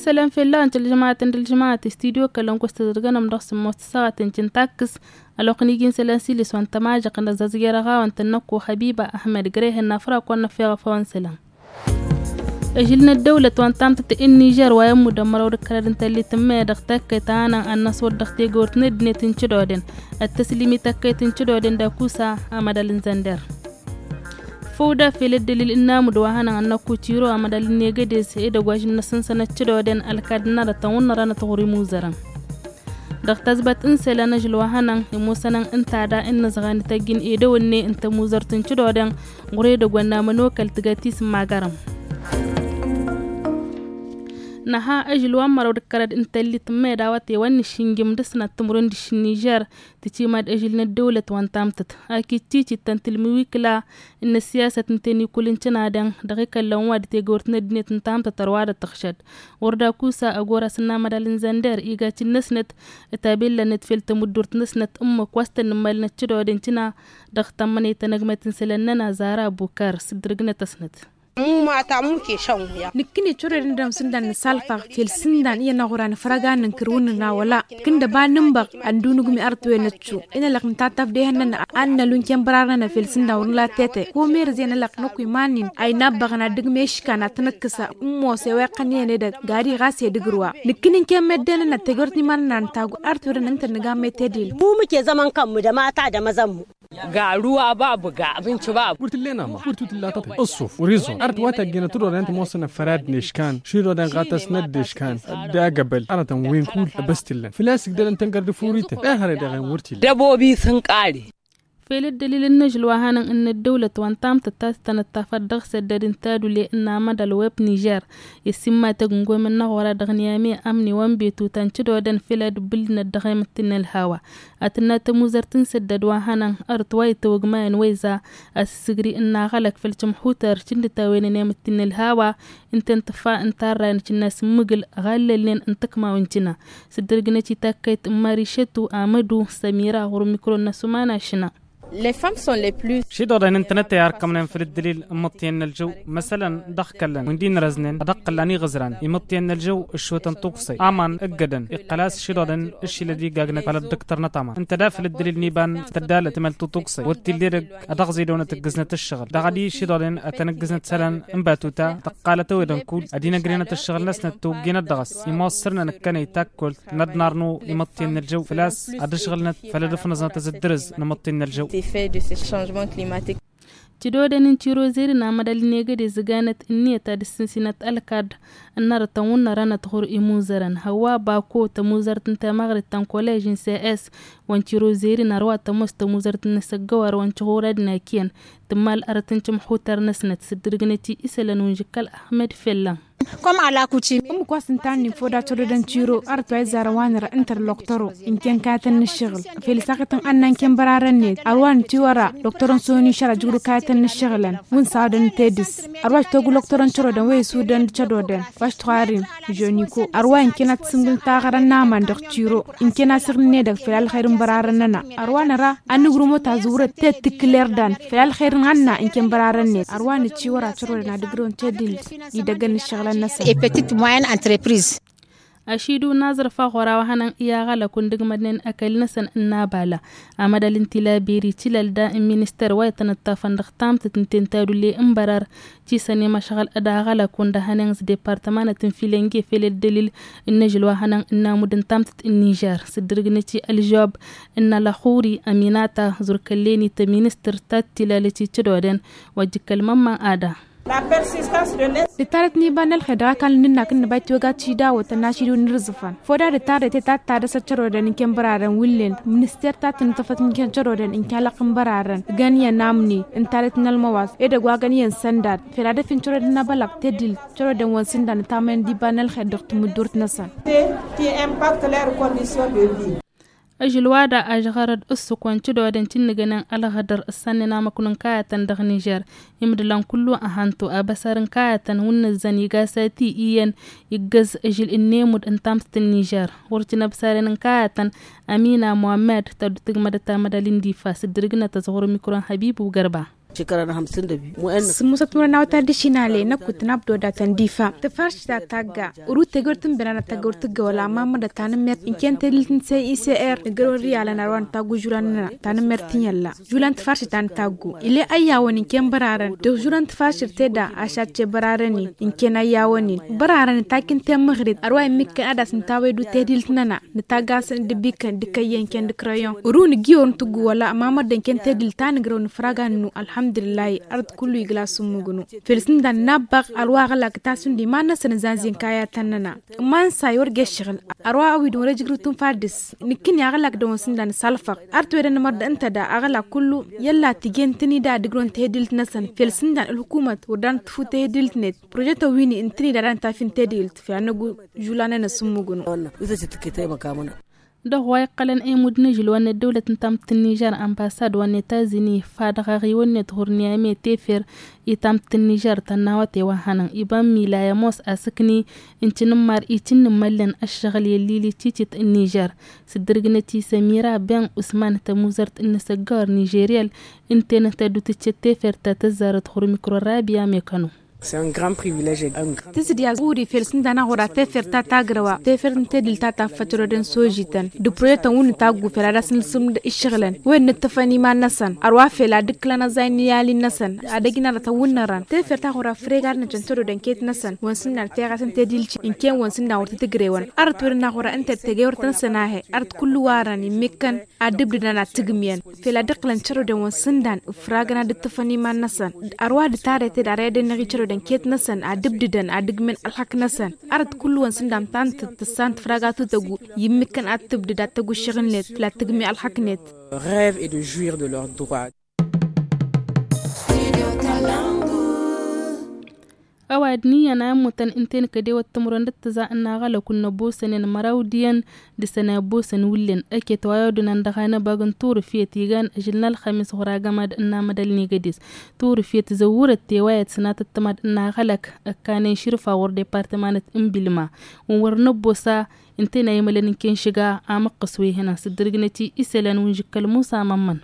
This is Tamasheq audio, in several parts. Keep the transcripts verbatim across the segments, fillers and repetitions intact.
Isălan fell-awăn tălžămaten dălžămat studio kălăn kustăzăr gănăm dăɣ-sǝmmos tăssaɣăten cǝntakkǝs. Ălwăqq n-iji n-isălan s-ilis wa n-tămažăq n-ăzzăzger ăɣawăn tănnăkku xăbiba ahmed grehen n-afrak wa n-năffeɣăf awăn isălan. Ăžǝl n-ăddăwlăt wa n-tamtăt n-nižer wa i-ămmudăn măraw d-ǝkkărăd n-tăllit n-meya dăɣ-takkăyt a hanăn ad-năswăt dăɣ-tegăwt n-ăddinăt n-cădoden. Ăttăslim i-takkăyt n-cădoden d-akusa amădal n-zănder. Făw da fel ăddălil n-amud wa hanăn ad-năkku tiro amădal n-egădez edăgg wa žǝnnăsăn sănăt cădoden ălkad n-arătăn wǝnnărăn ătɣur imuzărăn. Dăɣ-tazbat n-isălan ažǝl wa hănăn imusănăn ǝnta da ǝnnăzɣan ităjjǝn edăwănne n-tămuzărt n-cǝdoden ɣur-edăgg wa n-amănokăl tǝgăt isǝmmagărăm. Năha ažǝl wa n-măraw d-kărăd n-tăllit n-meda wa tewăn nǝššǝnjǝm dăɣ-sănat timǝrwen dăɣ-iššǝn nižer tǝcimad ažǝl n-ăddăwlăt wa n-tamtăt. Akit titit tăn-tǝlmǝwikǝla n-ăssiyasăt n-tenikulǝn cănadăn dăɣ-ikăllăn wa d-tegăwărt n-ăddinăt n-tamtăt ărwa dăɣ-tăɣšăd. Wăr dakusa ăgg orăs n-amădal n-zănder iga cǝnnăsnăt tabellănăt fel tămǝddurt-năsnăt ǝmmǝk wa s-tăn-nǝmmalnăt cădodăn cǝna. Dăɣ-tămmănăy tanăgmăt n-isălan-nănăɣ zara bukar s-dd-ǝrgnăt-ăsnăt. Mumata muke šăn wuya. Nǝkkǝne cădodăn dăɣ-sǝndan nǝsalfăɣ fel sǝndan iyyăn aɣuran fărăgan n-kărwǝn n-awăla. Kǝnda ba nǝnbăɣ ăndunǝgmi ărtwen ăccu. Inălăɣ nǝtattăf dehăn-nănăɣ ad-nălu n-kănbărarăn fel sǝndan wăr nǝla tete. Komerǝz i-inălăɣ năkk iman-in a inabbăɣăn ad-dăgg meškan ad-tăn-ǝkkǝsăn. Ǝmmos i-wa iqqăn i-inedăgg gadi ɣas edăgg ărwa. Nǝkkǝn-in kăyy meddǝnăn ad-tejorăt n-iman-nănăɣ n-taggu. Ărtwedăn ǝnta ad-nǝga mettedil. Mumǝke zămăn kămmǝdăm a tadăm ăzămmǝ. Ga ruwa babu ga abinci babu. Wăr t-illa nama wăr t-illa tăṭṭe ăṣṣuf wăr-iẓun art wa tăggănăt d-odan tămoosănăt fărad neškan šidodăn ɣatăsnăt d-eškan. D-agăbăl arătăn wen kull băstillăn făl-a-s ǝgdălăn tăngăr d-ifurităn ehăre dăɣ-en wăr t-illa. Dăbobi s-ǝnqari. Fel ăddălil n-ažǝl wa hanăn n-ăddăwlăt wa n-tamtăt ta s-tănăttafăt dăɣ-săddăd n-tadule n-amădal web nižer. Issimma tăgǝngomăn n-aɣora dăɣ-niyame amni wa n-betu ta n-cădodăn fel ad-ǝbbǝlnăt dăɣ-emǝttǝn n-ălhawa. Ad-tǝnna tămuzărt n-săddăd wa hănăn ărăt wa itawăgmayăn wăyza. Asǝssǝgri ǝnnaɣălăk făll-tămxutăr cǝndǝtawen n-emǝttǝn n-ălhawa. Ǝnta n-tǝffa n-tarrayăn cǝnnas n-imǝgǝl ɣallălnen n-tǝkmawen cǝna. Sǝddǝrgǝnăt i-takkăyt n-mari šătu amădu sămira ɣur-mikro n-asumana šǝna. Šidodăn ǝntănăt i-arkămnen făll-ǝddǝlil n-imǝṭṭiyăn n-ălžăw. Măsălăn dăɣ-kăllăn wi n-di-nărăznen ad-ăqqǝllan iɣǝzran imǝṭṭiyăn n-ălžăw. Ǝššotăn tuksăy aman ǝggădăn iqqăl a-s šidodăn ǝššilăd igagnăt făll-ăddăktăr n-ăṭṭăma ǝnta da făll-ǝddǝlil n-iba n-tăddalăt timăl tutuksăy wăr t-illa edăgg ad-dăɣ-zidăwnăt ǝggǝznăt ǝššăɣǝl dăɣ-ad-išidodăn ad-tăn-ǝggǝznăt isălan n-batuta tăqqalăt ăwedăn kull ad-inăgrănăt ǝššăɣǝl-năsnăt tawǝggenăt dăɣ-s. Imosărnăn ǝkkănăy takkol n-ad-narnu imǝṭṭiyăn n-ălžăw făl-a-s ad-ǝšɣǝlnăt făll-ad-ǝfnǝẓnăt azǝddǝrǝz n-imǝṭṭi n-ălžăw. Cădodăn n-tirozeri n-amădal n-egădez ǝganăt ǝnniyăt ad-ǝssǝnsinăt ălkard n-arătăn wǝnnărănăt ɣur-imuzărăn hăwwa bako tămuzărt n-temăɣrit ta n-kolež n-cs. Wa n-tirozeri n-arwa tămoos tămuzărt n-asăggăwar wa n-tiɣurad n-akǝyăn tǝmmal arăt n-timxutăr-năsnăt sǝddǝrgǝnăt-i isălan wa n-žǝkkăl ahmed fellăn. Ǝmmǝk wa s-ǝnta-nin foda cădodăn tiro arăt wa izzarăn wa nǝra ǝnta d-lăqtăro ǝnkăyăn kayătăn n-ǝššăɣǝl. Fel isaɣătăn ad-nănkăyăn bărarăn-net arwa n-tiwăra lăqtăro n-soni šăra jǝgru kayătăn n-ǝššăɣǝlăn. Wǝnsa odăn tedǝs arwa s-toggu lăqtăro n-cărodăn wa isudăn d-cădodăn wa s-tuɣarin žoniko arwa ǝnkăyăn ad-t-sǝngǝl taɣărăn n-aman dăɣ-tiro. Ǝnkăyăn asǝɣ n-edăgg fel alxer n-bărarăn-nănăɣ arwa năra ad-nǝgrǝm otazǝwrăt tet tǝkkǝl irdan. Fel alxer n-anna ǝnkăyăn bărarăn-net arwa nǝcciwăra cărodăn ad-ǝgrǝwăn tedǝl. Idăggăn n-ǝššăɣǝlăn-năsăn. Ašidu n-aẓrǝf aɣora wa hănăn i-aɣălăk wa n-dăgg-mădnen ăkall-năsăn n-abala. Amădal n-tilaberi tilălda n-minister wa itănăṭṭafăn dăɣ-tamtăt n-tentadule n-bărar. Tisăn i-măšɣăl d-aɣălăk wa n-dăhănen s-departămanăt n-filenge fel ăddălil n-ažǝl wa hănăn n-amud n-tamtăt n-nižer sǝddǝrgǝnăt-i ălžăwab. N-alăxuri ăminata zurkăllen-i tăministăr ta t-tilalăt i-cădodăn wa dd-ǝkkăl mămman ada. D-tarăt n-iba n-ălxer dăɣ-akall n-ǝnnak n-năba itwăga tišidawăt ănnašidǝw n-irzǝfăn foda d-tarăt i-tattadăsăt cărodăn n-kănbărarăn wǝllen minister ta tǝnǝtăfăt n-kănbărarăn n-kalăq n-bărarăn găn iyyăn amni n-tarăt n-ălmăwas edăgg wa găn iyyăn săndad. Fel ad-ăfin cărodăn n-abălăɣ tedil cărodăn wa n-sǝndan ǝtamăyăn d-iba n-ălxer dăɣ-tǝmǝddurt-năsăn. Ažǝl wa da ažɣărăd ǝssǝk wa n-cǝdodăn cǝnnǝgănen ălɣădăr ǝssannen amăknu n-kayătăn dăɣ-nižer. Imdǝlan kullu ăhantu abăsar n-kayătăn wǝnnǝzzăn iga sati iyyăn iggăz ažǝl n-emud n-tamtăt n-nižer. Wăr cǝnăbsaren n-kayătăn amina muhammed taddu tǝgmădăt amădal n-difa s-dd-ǝrgǝnăt ăẓɣur mikro n-hăbibu gărba. Sǝmmosăt mărăn awăt ad-dd-išinale năkk wǝtnabdo datăn difa tǝfarš ta tagga. Urut tegăwăr tǝnbena n-ad-tagga wăr tǝggăwăl amma mădda tanămmert ǝnken tedǝlt n-cicr nǝggărăwăn riyalăn ar wa nǝtaggu žulan-nănăɣ. Tanămmert n-iyyălla žulan tǝfarš ta nǝtaggu ile ăyyawăn ǝnken bărarăn dăɣ-žulan tǝfarš tedda ašat ce bărarăn-in. Ǝnken ăyyawăn-in bărarăn nǝtakk ǝnta i-măɣrib ar wa immǝkkăn ad-as-nǝtawăydu tedǝlt-nănăɣ. Nǝtagg-asăn d-ǝbikăn d-kăyy ǝnken d-kărăyyon. Uru nǝgg-iwăr n-tǝggu wăla amma mădda ǝnken tedǝlt ta nǝgrăw nǝfraga n-inu. Ălxămdǝlǝllahi ard kullu igla s-ǝmmǝgnu. Felsǝndan n-abbăɣ ar wa aɣlak tasǝnd iman-năsăn ǝzanzin kayatăn-nănăɣ. Ǝmman say wăr găššăɣǝl ar wa ăwidǝn wăr-ăjrǝwtǝn fad-dăɣ-s. Nǝkkǝni aɣlak dăɣ-wăn sǝndan s-alfăɣ. Ar t-wedăn mărd ǝnta da aɣlak kullu. I-ălla tǝjjen tǝnida ad-ǝgrǝwăn tehedǝlt-năsăn felsǝndan ǝlhukumăt wăr dan tǝfu tehedǝlt-net. Prožet ăwwin-i ǝntǝni da ad-dăɣ-nǝtafin tedǝlt fi-ad-năggu žulan-nănăɣ s-ǝmmǝgnu. Dăɣ-wa iqqălăn emud n-ažǝl wa n-ăddăwlăt n-tamǝtt n-nižer ănbasad wa n-etazini iffa dăɣ-aɣiwăn-net ɣur-niyame tefer. I-tamǝtt n-nižer tănn'-awăte wa hănăn iba n-milay ămoos asǝkni n-tinǝmmar icǝnnǝmmăllăn ăššăɣǝl i-ăllil icicit n-nižer. S-dd-ărgnăt i-sămira ben usman tămuzărt n-inǝsăggawăr nižeriyăl. Ǝnta-en tăddu tǝccet tefer ta tăzzarăt ɣur-mikro rabiya mekăno. Tǝzǝd i-ad-uri fel s-ǝnda n-aɣura tefer ta tagrăwa tefer n-tedǝl ta taffăt rodăn sojităn d-projetăn wǝnnǝt aggu fel ad-asǝlsǝm d-ǝššăɣǝlăn. Wen nǝttǝfăn iman-năsăn ărwa fel ad-ǝkkǝlăn ăẓay n-iyalin-năsăn. Ad-ăjnarăt ăwwǝnnărăn tefer ta ɣura fregadnăt n-tărodăn ket-năsăn wăn s-ǝnda n-teɣasăn tedilci ǝnken wăn s-ǝnda wăr tǝtǝgrewăn. Ărăt wăr n-aɣura ǝnta d-tegewărt-năsăn a-he ărăt kullu warăn immikkăn ad-dd-ǝbdǝdăn ad-tǝgmǝyăn. Fel ad-ǝqqǝlăn cărodăn wăn s-ǝndan ǝfragăn ad-ǝttǝfăn iman-năsăn. Ărwa d-tarete d-ara i-ad-ănneɣ i-cărodăn ket-năsăn ad-ǝbdǝdăn ad-ǝgmǝyăn ălxăk-năsăn. Ărăt kullu wăn s-ǝndan tantăt tǝssan tǝfraga tutăggu. I-ǝmmǝkkăn ad-tǝbdǝd ad-tăgg uššăɣǝl-net făll-ad-tǝgmǝy ălxăk-net. Rêve et de jouir de leur droit. Ăwadǝm iyyăn a ămmutăn ǝnta-en kădewăt timǝrwen d-ǝttǝẓa n-aɣălăk wǝnnă ăbboosăn-en măraw d-iyyăn. Dăɣ-săn a ăbboosăn wǝllen ăket wa i-odǝnan dăɣ-anăbag n-turǝfyăt igan ažǝl n-ălxămis ɣur-agămad n-amădăl n-egădes. Turǝfyăt zăwwurăt tewayăt sănatăt timaḍ n-aɣălăk ăkkanen širǝfa ɣur-departămanăt n-bilma. Wǝn wăr năbbosa ǝnta-en a imălăn n-kenšǝga amǝqqǝs wa ihănan s-dd-ărgnăt i-isălan wǝnžǝkkăl musa mămmăn.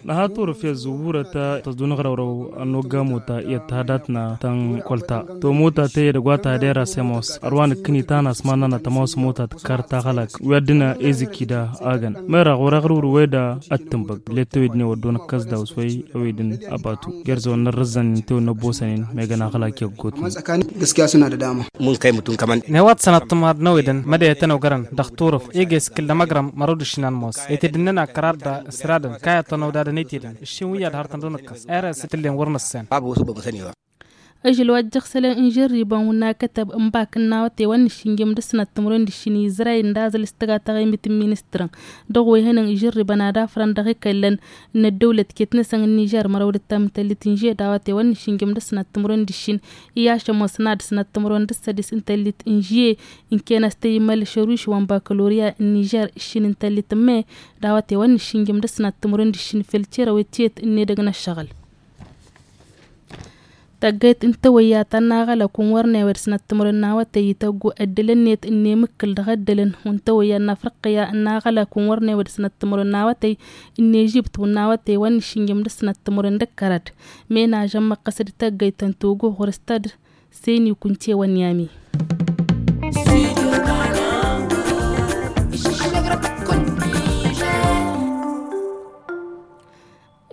Nǝha turǝfyăt zǝwwurăt ta tăẓḍu n-aɣrăwrăw ănnogga mota iyyăt ta hadatna ta n-kăwăl-ta. To mota tăyy edăgg wa ta had-era s-ămoos ărwa nǝkkǝni ta n-asman-nănăɣ tămoos mota tǝkkar taɣălak wi ad-dăɣ-nănăɣ ezǝkki da. Agăn mera ɣur-aɣrǝwrǝw eda ăttǝnbăg. Letăwed n-ewăddo nǝkkăs daw-s wăy ăwedǝn abatu gerzăwăn n-ărrǝzzăn ǝnta ewănna ăbboosăn-in megăn aɣălak i-ăggootnen. Nǝhăwăt sănat tǝmad n-ăwedăn mădăyăt ănogărăn dăɣ-turǝf. Ege s-kǝlla măgrăm mărăw d-ǝššin anmos etedăn-nănăɣ kăraḍ da s-radăn kayăt ănăwdadăn etedăn ǝššin wi ad-hărtăn d-onăkkăs. Ere s-tǝllen wăr nǝssen. Ažăl wa ăjjăɣ isălan n-žărribăn wǝnna kătăb n-bak n-awăte wa n-nǝššǝnjăm d-ăsnat timǝrwen d-ǝššin izray ǝnda aẓǝl s-tǝga taɣimit n-ministrăn. Dăɣ-wa ihănăn žărribăn ad-afrăn dăɣ-ikăllăn n-ăddăwlăt ket-năsăn n-nižer mărăw d-ǝttam n-tăllit n-žed awăte wa n-nǝššǝnjăm d-ăsnat timǝrwen d-ǝššin. I-ašăm wa s-nad-sănat timǝrwen d-ǝssădis n-tăllit n-žed. Ǝnken a-s tăyǝmmăl šăruš wa n-bakălorya n-nižer ǝššin n-tăllit n-me. D-awăte wa n-nǝššǝnjăm d-ăsnat timǝrwen d-ǝššin fel cerăwet tiyyăt n-edăgg n-ăššăɣǝl. Tăggayt n-tawăyya ta n-aɣălăk wǝn wăr newăd sănat timǝrwen n-awătăy ităggu ăddălăn-net n-emǝkkǝl dăɣ-ăddălăn wǝn tawăyya n-afriqya n-aɣălăk wǝn wăr newăd sănat timǝrwen n-awătăy n-ežibt wǝn n-awătăy wa n-nǝššǝnjăm d-sănat timǝrwen d-ăkkărăd. Menažăn măqqăsăd tăggayt ta n-togo ɣur-s tădd seni kunce wa n-yami.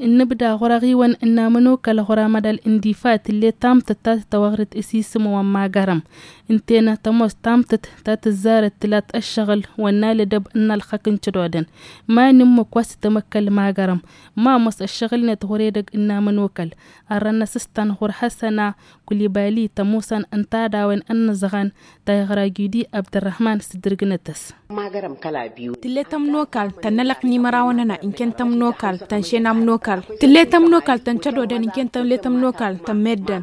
Ǝnnǝbda ɣur-aɣiwăn ǝnnamăn okal ɣur-amădal n-difa tǝllet tamtăt ta tătwăɣrǝt s-isǝm wa n-magarăm. Ǝnta-en tămoos tamtăt ta tǝzzarăt tǝlat ăššăɣǝl wa n-alădăb n-alxăk n-cădodăn. Ma n-ǝmmǝk wa s-tămăkkăl magarăm ma ămoos ăššăɣǝl-net ɣur-edăgg ǝnnamăn okal. Ărrăn asǝstan ɣur-hasăna kulibali tămusăn ǝnta a dawăn ănnăẓɣan ta iɣra gidi abdărrăhman s-dd-ǝrgǝnăt-as. Tǝllet ămnokal tănnălăq n-imărawăn-nănăɣ ǝnken tămnokal tănšen ămnokal. Tǝllet ămnokal tăn-cădodăn ǝnken tǝllet ămnokal tăn-meddǝn.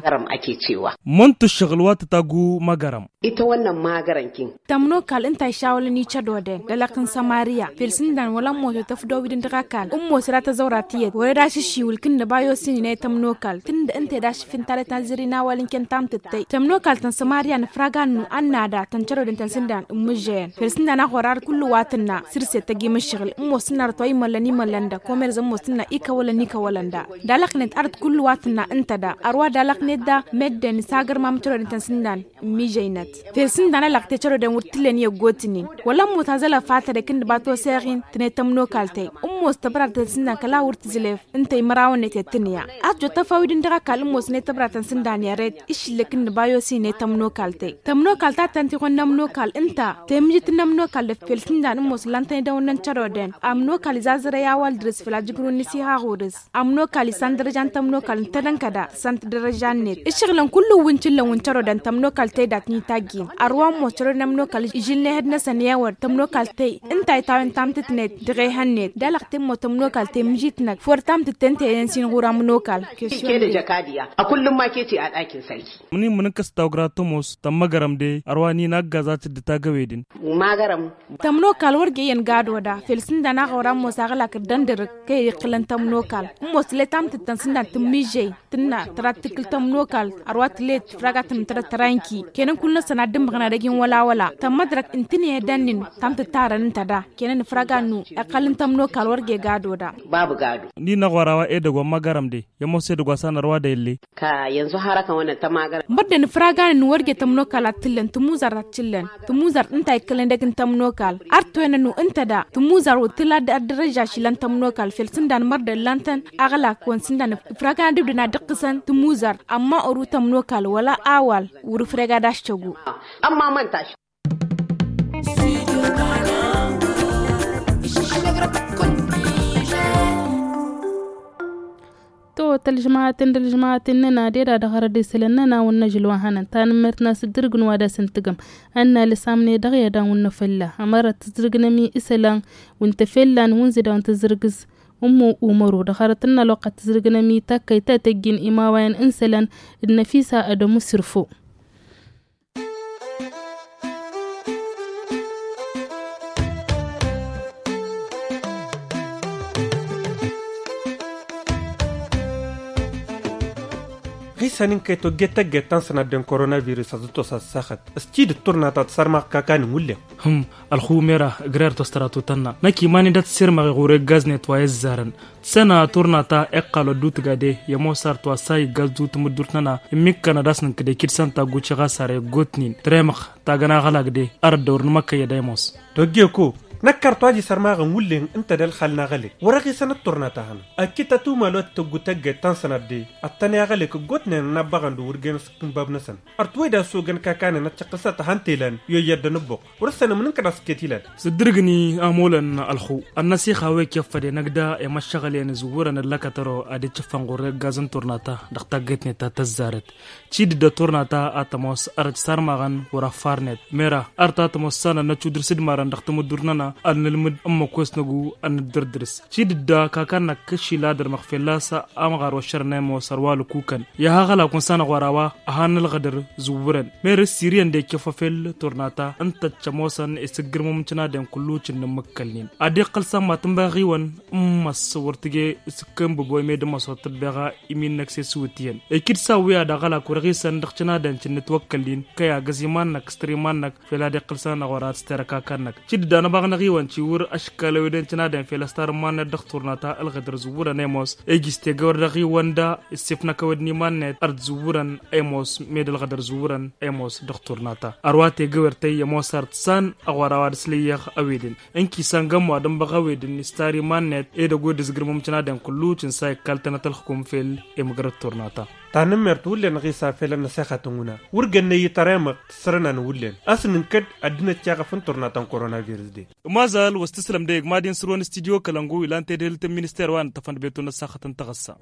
Mănt ǝššăɣǝl wa tǝtaggu măgărăm. Itawănnăn măgărăm kin. Tămnokal ǝnta a išawălăn icădodăn d-alăq n-sămariya fel s-ǝndan wăla ămmoto tăfdăwidăn dăɣ-ăkall ǝmmos ra tăẓăwra tiyyăt wăr-ed ašǝššiwǝl kǝnnă ba i-osǝnnin a i-tămnokal tǝnda ǝnta ed ašǝf n-talăt n-azǝri n-awal ǝnken tamtăttăy tămnokal tăn-sămariya nǝfrag annu ănnada tăn-cărodăn tăn-sǝndan ǝmmǝžžăyăn fel s-ǝndan a. Ărad kullu wa tǝnna sǝrset tăgg-i mǝššăɣǝl ǝmmos tǝnna arăt wa imăllăn imăllăn da komerz ǝmmos tǝnna ikăwălăn ikăwălăn da. Dalăknet arăt kullu wa tǝnna ǝnta da ărwa dalăknet da meddǝn s-agărmam cărodăn tăn-sǝndan. Ǝmmižăynăt fel sǝndan alăɣ te cărodăn wăr t-ǝllen i-ăggootnen wăla ămmos azălăf a tărek ǝnnăba toseɣ-in tǝnet tămnokaltăy. Ǝmmos tăbrartăn sǝndan kăla wăr tǝzlef ǝnta imărawăn-net i-ăttǝnǝya. A tǝjot tăfawid-in dăɣ-ăkall ǝmmos-net tăbratăn sǝndan i-ăret. Išǝllǝk ǝnnǝba i-osin i-tămnokal tey tămnokal ta tăn-t-ihon n-ămnokal ǝnta temǝjǝt n-ămnokal dăɣ-fel sǝndan ǝmmos ǝllan-tăn idăwănnăn cărodăn. Ămnokal izazărăy a-wa ăldărǝs făll-ajǝgrun n-isi haɣ urǝs. Ămnokal isan dărăja n-tămnokal ǝntădăn kăda tǝssan-t dărăja-net. Ǝššăɣǝlăn kullu-wǝn cǝllăn-wǝn cărodăn tămnokal tey dat-ni tajjin. Ărwa ămmos cărodăn ămnokal ižǝlnen ehăd-năsăn i-ewăr tămnokal tey ǝnta a itawăn tamtǝtnet dăɣ-ehăn-net. Dalăɣ-t ǝmmos tămnokal tey mǝžitnăk făwăr tamtǝt te ǝnta i-ănsin ɣur-ămnokal. Kede jăkadiya a kullum ma keci a ɗakin sarki. Mǝnin mǝnǝnkăs tawgra tămoos tămmăgărăm de ărwa n-inaggaz a tǝddǝt agăwedin. Magărăm. Tămnokal wăr ge iyyăn gado da fel sǝndan aɣăwra ămoos aɣlak ǝrdăn dărǝk kăy-iqqǝlăn tămnokal. Ămoos tǝle tamtǝt-tăn sǝndan tǝmmižžăy tǝnna tăra tǝkkǝl tămnokal. Ărwa tǝle tǝfraga tǝnǝmtădăt tăra inki kăyăn n-kull-năsăn ad-dd-ǝmmăɣna dăgg-in wăla wăla tămmădrăk ǝntǝnǝy edăn-in. Tamtǝt tarăn ǝnta da kăyăn ǝnfraga-nu iqqăl n-tămnokal wăr ge gado da. Babu gado. N-inăɣ wăr-a-wa edăgg wa n-magărăm de i-ămoos edăgg wa s-anărwa d-elle. Ka yanzu har ăkăn wănăn tămagărăm. Bărdăn ǝfraganăn wăr ge tămnokal ad-t-ǝllăn tǝmuzart ad-t-ǝllăn tǝmuzart ǝnta a ikkălnen dăgg n-tămnokal. Ar toynănu ǝnta da tǝmuzart wăr tǝla ad-dărăžžaš ilăn tămnokal fel sǝndan mărdăn lan-tăn aɣlak wăn sǝndan ǝfraganăn d-ibdăn ad-dd-ǝqqǝsăn tǝmuzart ămma oru tămnokal wăla awal wăr-ǝfreg ad-aščăgu. Ămma măntaš. To tălžmaten dălžmaten năna deda dăɣ-arăd isălăn năna wănnăžăl wa hănăn tanǝmmert n-asǝddǝrǝg n-wa d-asǝntǝgăm. Ănna lăsamne dăɣ-i ad-anwǝnnă fălla ămărăt tǝzrǝgnăm i-isălan wǝntă fellan wǝnzǝd a wǝntă zǝrgǝz. Ummu umăru dăɣ-arăt ǝnna ălwăqq ad-tǝzrǝgnăm i-takkăy ta tăjjin imawayăn n-isălan d-năfisa ad-ămusǝrfo. Ɣisan n-kăy-tojjet tăgget ta n-sănadden koronavirus ad-dd-tos ad-saxăt s-tidǝt turna ta tǝsărmaɣ kakan n-wullen. Hǝm. Ălxumera ǝgrerăt wa s-tăra tutănna năkk iman-in dat-sirmăɣ iɣur eggaznet wa i-ăzzarăn. Tǝsănna turna ta iqqal wa dd-utǝgade i-ămoos arăt wa s-a iggaz d-utǝmǝddurt-năna. Ǝmmikkăn ad-dăr-s nǝnkǝd ekid s-ănta ăgguci ɣas ar eggotnen tăremăɣ tagăn aɣălag de. Arăt dăr-wăr nǝmăkkăyyăd a ămoos. Tojje ko năkk arăt wa dd-isărmaɣăn wullen ǝnta d-ălxal n-aɣălăy wăr-ăɣisănăt turna ta hănăɣ. Ăkkităt umal wa t-tăggu tăgget ta n-sănat de ăttăne aɣălăy kăggotnen ănnabbăɣăn d-uwǝrgen s-kǝnbab-năsăn. Ărăt wăy d-asogăn kakanăn ăccăqqǝsăt ahăn telăn i-oyyăr d-anǝbbuq. Wăr-ăssănăm n-inkăd a-s iket ilal. S-ǝddǝrǝgni amolăn ălxu ănnăsixa wa ikefăd enăgda i-măššăɣǝl i-inǝzwǝrăn ǝllăkătăro ad-icǝffăn ɣur-eggaz n-turna ta dăɣ-taggetnet ta tăzzarăt. Cidǝdda turna ta ad-tămoos ărăt sarmaɣăn wăr-ăffarnet mera ărăt ad-tămoos s-anăn năcudǝr s-dd-marăn dăɣ-tamǝddurt-năna ad-nǝlmǝd n-măkos năgu ad-nǝddărdǝrǝs. Cidǝdda kakan-năk kăšila dăr-măɣ fălla-s amɣar wa ăššărăn ămoos ărwa lăkukăn. I-aha aɣălak wa n-sanăɣ wăr-a-wa ăhan n-ălɣădăr zǝwwǝrăn. Mer ǝssiriyăn d-ekăfăfel turna ta ǝnta ăccămoosăn isǝggǝrmum n-cǝnadăn kullu cǝnnǝmmǝkkălnen ad-iqqăl s-amma tǝnba ɣiwăn. N-măs wăr tǝje s-kănbǝbo i-med n-măs wăr tǝbbeɣa imin-năk s-e-s iwǝtiyăn. Ekid s-awǝya d-aɣălak wăr-ăɣisăn dăɣ-cǝnadăn cǝnnǝtwăkkălnen kăy-agăz iman-năk s-tăr iman-năk. Fel ad-iqqǝl s-anăɣ wăr-ad-s terăkakăn-năk cidǝdda n-abaɣ n-aɣiwăn ciwǝr ăškal ăweden cǝnadăn fel ăstar n-iman-net dăɣ-turna ta ălɣădăr zǝwwǝrăn ămoos. Ejis tegăwer dăɣ-iwăn da issifnăk ăwed n-iman-net ar t-zǝwwǝrăn ămoos med ălɣădăr zǝwwǝrăn ămoos dăɣ-turna ta. Ărwa tegăwer tăyy ămoos ar t-san ăɣwăr a-wa d-aslăyyăɣ ăweden. Ǝnki săngăm wa d-ănbăɣ ăweden istar iman-net edăgg wed ǝzgǝrmăm cǝnadăn kullu cǝnsa ikkaltănăt ălxǝkum fel. Emǝgrăt turna ta. Tanǝmmert wullen ɣisa fel ănnăsixăt n-wǝna wăr gănnăy ităr emăɣ tǝssărăna n-wullen a-s nǝnkăd ăddinăt ceɣăf n-turna ta n-koronavirus de. Ămazal wa s-tǝslăm dăɣ-egmadin săro n-studyo kălăngu ilan tedhelt n-minister wa n-ǝttăfăn d-beton n-ăssaxăt n-taɣǝssa.